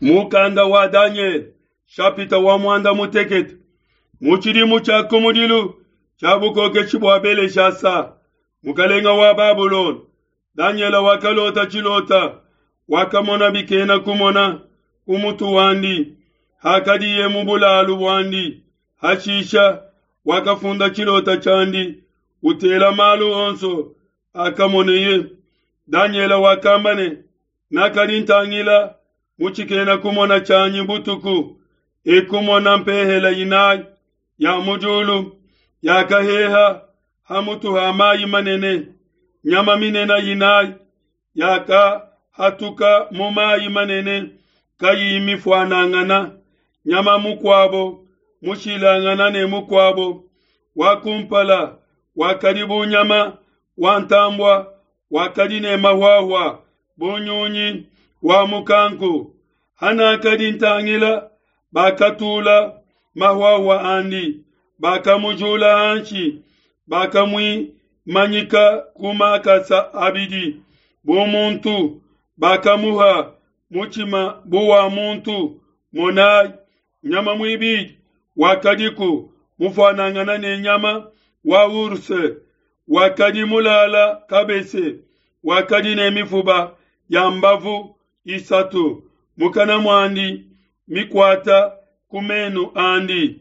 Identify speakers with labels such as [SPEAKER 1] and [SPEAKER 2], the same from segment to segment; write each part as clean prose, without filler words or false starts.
[SPEAKER 1] Mukanda wa Danyele shapita wa muanda mutekete. Mu tshidimu tshia kumudilu tshia bukokeshi bua Beleshasa, mukalenga wa Babulona, Danyele wakalota tshilota, wakamona bikena kumona ku mutu wandi hakadiye mu bulalu buandi. Hashisha wakafunda tshilota tshiandi, utela malu onso akamoneye. Danyele wakamba ne, Nakadi ntangila mu tshikena kumona tshianyi butuku, ekumona mpehela inayi ya mu diulu yakaheha ha mutu ha mayi manene. Nyama minene inayi yakahatuka mu mayi manene kayiyi mifuanangana, nyama mukuabo mushilangana ne mukuabo. Wa kumpala wakadi bu nyama wa ntambua wakadi ne mahuahua bu nyunyi wa mukanku. Hanakadi ntangila, bakatula mahuahua andi, bakamujula hanshi, bakamuimanyika ku makasa abidi bu muntu, bakamuha mutshima bu wa muntu. Monai, nyama muibidi wakadiku mufuanangana ne nyama wa ours, wakadi mulala kabese, wakadi ne mifuba ya mbavu isatu mukana muandi mikuata ku menu andi.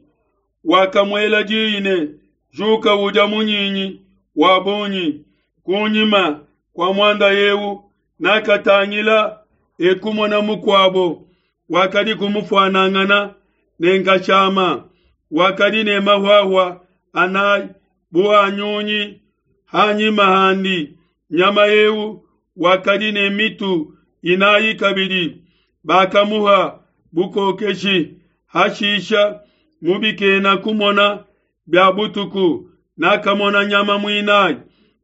[SPEAKER 1] Wakamuela diyi ne, Juka udia munyinyi wa bungi. Kunyima kua muanda eu nakatangila, ekumona mukuabo wakadi kumufuanangana ne nkashama, wakadi ne mahuahua anayi bu a nyunyi hanyima handi. Nyama eu wakadi ne mitu inayi kabidi, bakamuha bukokeshi. Hashisha mu bikena kumona bia butuku nakamona nyama muinayi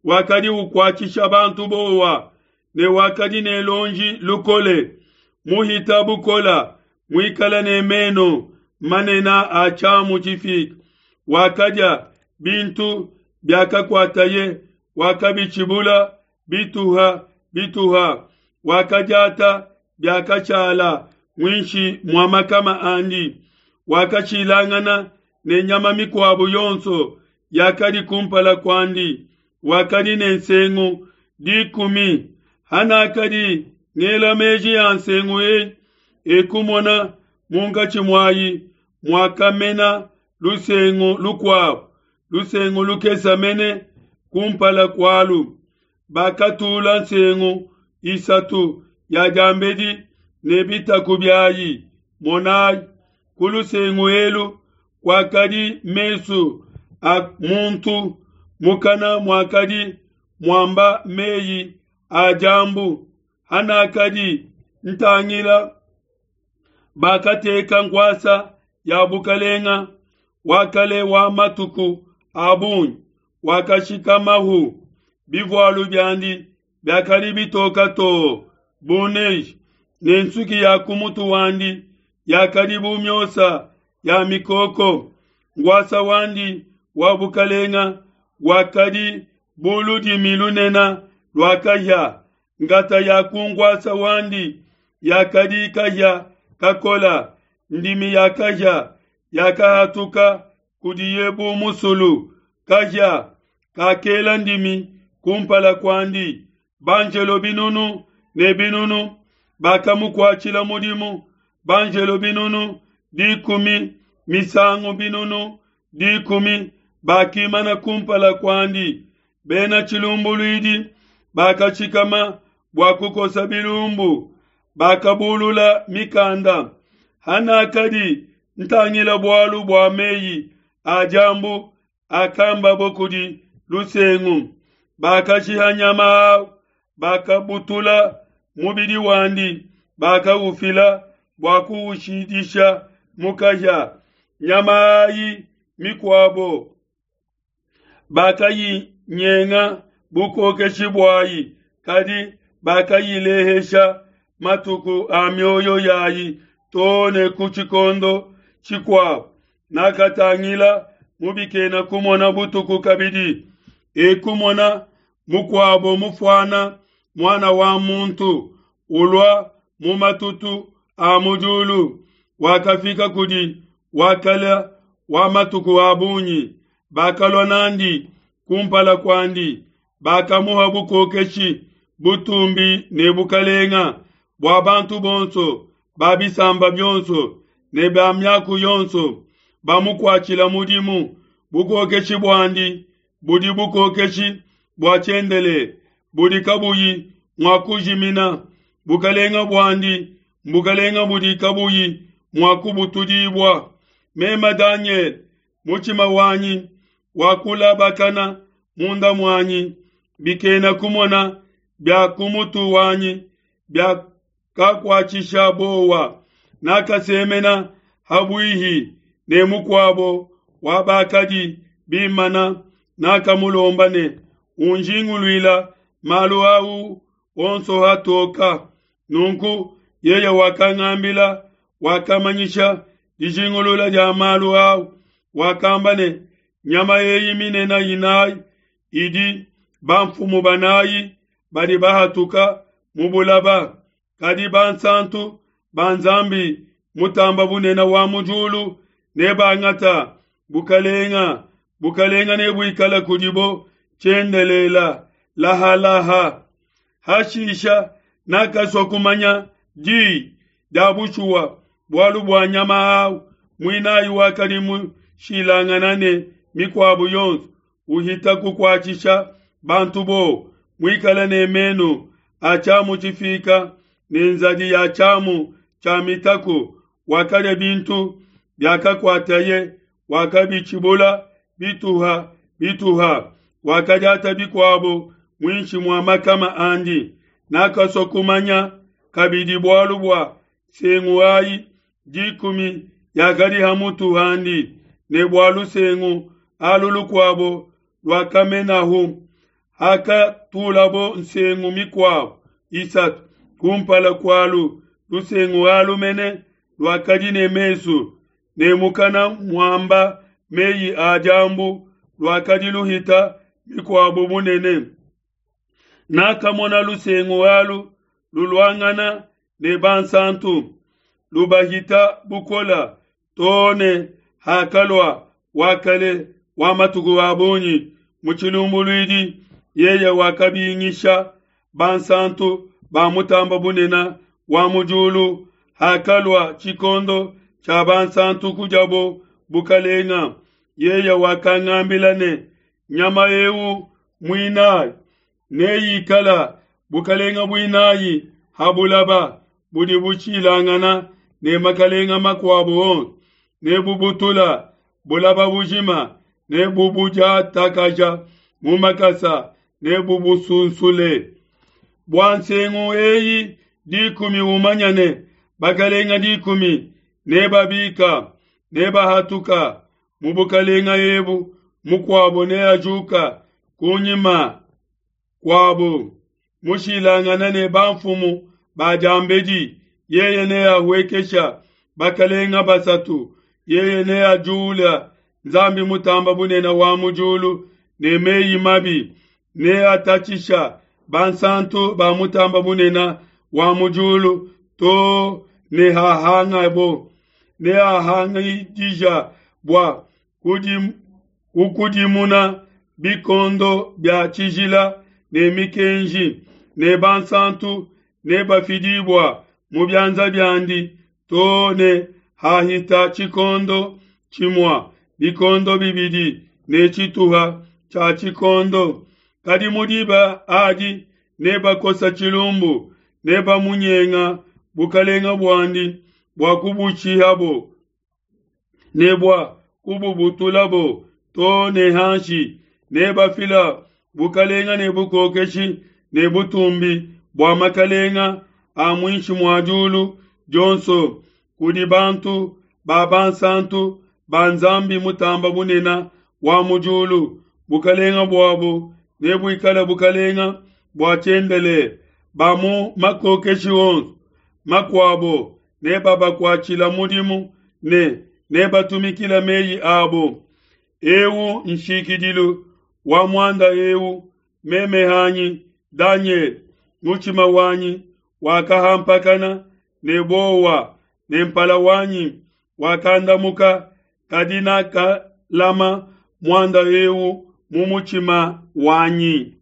[SPEAKER 1] wakadi ukuatshisha bantu bowa ne wakadi ne luonji lukole muhita bukola, muikale ne meno manene a tshiamu tshifike. Wakadia bintu biakakuataye, wakabitshibula bituha bituha, wakadiata biakashala muinshi mua makama andi. Wakashilangana ne nyama mikuabo yonso yakadi kumpala kuandi, wakadi ne nsengu dikumi. Hanakadi ngela meji a nsengu eyi, ekumona munkatshi muayi muakamena lusengu lukuabo, lusengu lukese mene kumpala kualu. Bakatula nsengu isatu ya diambedi ne bitaku biayi. Monai, ku lusengu elu kuakadi mesu a muntu, mukana muakadi muamba meyi a diambu. Hanakadi ntangila, bakateka nkuasa ya bukalenga wa kale wa matuku a bungi, wakashikamahu. Bivualu biandi biakadi bitoka too bu neige, ne nsuki ya ku mutu wandi yakadi bu miosa ya mikoko. Nkuasa wandi wa bukalenga wakadi bu ludimi lunene lua kahia, ngata ya ku nkuasa wandi yakadi kahia kakola, ndimi ya kahia yakahatuka kudiye bu musulu. Kahia kakela ndimi kumpala kuandi. Banjelo binunu ne binunu bakamukuatshila mudimu, banjelo binunu dikumi misangu binunu dikumi bakimana kumpala kuandi. Bena tshilumbuluidi bakashikama bua kukosa bilumbu, bakabulula mikanda. Hanakadi ntangila bualu bua meyi a diambu akambabo kudi lusengu, bakashiha nyama au, bakabutula mubidi wandi, bakaufila bua kuushidisha mu kahia. Nyama ayi mikuabo bakayinyenga bukokeshi buayi, kadi bakayilehesha matuku a mioyo yayi too ne ku tshikondo tshikuabo. Nakatangila mu bikena kumona butuku kabidi, ekumona mukuabo mufuana muana wa muntu ulua mu matutu a mu diulu wakafika kudi Wa Kale wa Matuku a Bungi, bakalua n'andi ku mpala kuandi, bakamuha bukokeshi, butumbi ne bukalenga, bua bantu bonso ba bisamba bionso ne ba miaku yonso bamukuatshila mudimu. Bukokeshi buandi budi bukokeshi bua tshiendelele budi kabuyi mua kujimina, bukalenga buandi mbukalenga budi kabuyi mua kubutudibua. Meme Danyele, mutshima wanyi wakulabakana munda muanyi, bikena kumona bia ku mutu wanyi biakakuatshisha buowa. Nakasemena habuihi ne mukuabo wa bakadi bimana, nakamulomba ne, Unjinguluila malu au onso hatoka. Nunku yeye wakangambila, wakamanyisha dijingulula dia malu au, wakamba ne, Nyama eyi minene inayi idi bamfumu banayi badi bahatuka mu bulaba, kadi bansantu ba Nzambi Mutamba Bunene wa mu diulu nebangata bukalenga, bukalenga nebuikala kudibo tshiendelela lahalaha. Hashisha nakasua kumanya di dia bushuwa bualu bua nyama au muinayi wakadi mushilangana ne mikuabo yonso, uhita kukuatshisha bantu bowa, muikale ne menu a tshiamu tshifika ne nzadi ya tshiamu tshia mitaku, wakadia bintu biakakuataye, wakabitshibula bituha bituha, wakadiata bikuabo muinshi mua makama andi. Nakasua kumanya kabidi bualu bua nsengu ayi dikumi yakadi ha mutu handi, ne bua lusengu alu lukuabo luakamenahu, hakatulabo nsengu mikuabo isatu kumpala kualu, lusengu alu mene luakadi ne mesu ne mukana muamba meyi a diambu, luakadi luhita mikuabo bunene. Nakamona lusengu alu luluangana ne bansantu, lubahita bukola, too ne hakalua Wa Kale wa Matuku a Bungi mu tshilumbuluidi, yeye wakabingisha bansantu ba Mutamba Bunene wa mu diulu. Hakalua tshikondo tshia bansantu kudiabo bukalenga, yeye wakangambila ne, Nyama eu muinayi neikala bukalenga buinayi ha bulaba budi bushilangana ne makalenga makuabo onso, nebubutula bulaba bujima, nebubudiatakaja mu makasa, nebubusunsule. Bua nsengu eyi dikumi umanya ne, bakalenga dikumi nebabika, nebahatuka mu bukalenga ebu, mukuabo neajuka kunyima kuabo, mushilangana ne bamfumu ba diambedi, yeye neahuekesha bakalenga basatu, yeye neajula Nzambi Mutamba Bunene wa mu diulu ne meyi mabi, neatatshisha bansantu ba Mutamba Bunene wa mu diulu too ne hahangabo, neahangidija bua kukudimuna bikondo bia tshijila ne mikenji, ne bansantu nebafidibua mu bianza biandi too ne hahita tshikondo tshimua, bikondo bibidi ne tshituha tshia tshikondo. Kadi mu diba adi nebakosa tshilumbu, nebamunyenga bukalenga buandi bua kubushihabo ne bua kububutulabo too ne hanshi, nebafila bukalenga ne bukokeshi ne butumbi bua makalenga a muinshi mua diulu dionso kudi bantu ba bansantu ba Nzambi Mutamba Bunene wa mu diulu. Bukalenga buabo nebuikale bukalenga bua tshiendelele, ba mu makokeshi onso makuabo nebabakuatshila mudimu ne nebatumikila meyi abo. Eu nshikidilu wa muanda eu. Meme hanyi, Danyele, mutshima wanyi wakahampakana. ne buowa ne mpala wanyi wakandamuka, kadi nakalama muanda eu mu mutshima wanyi.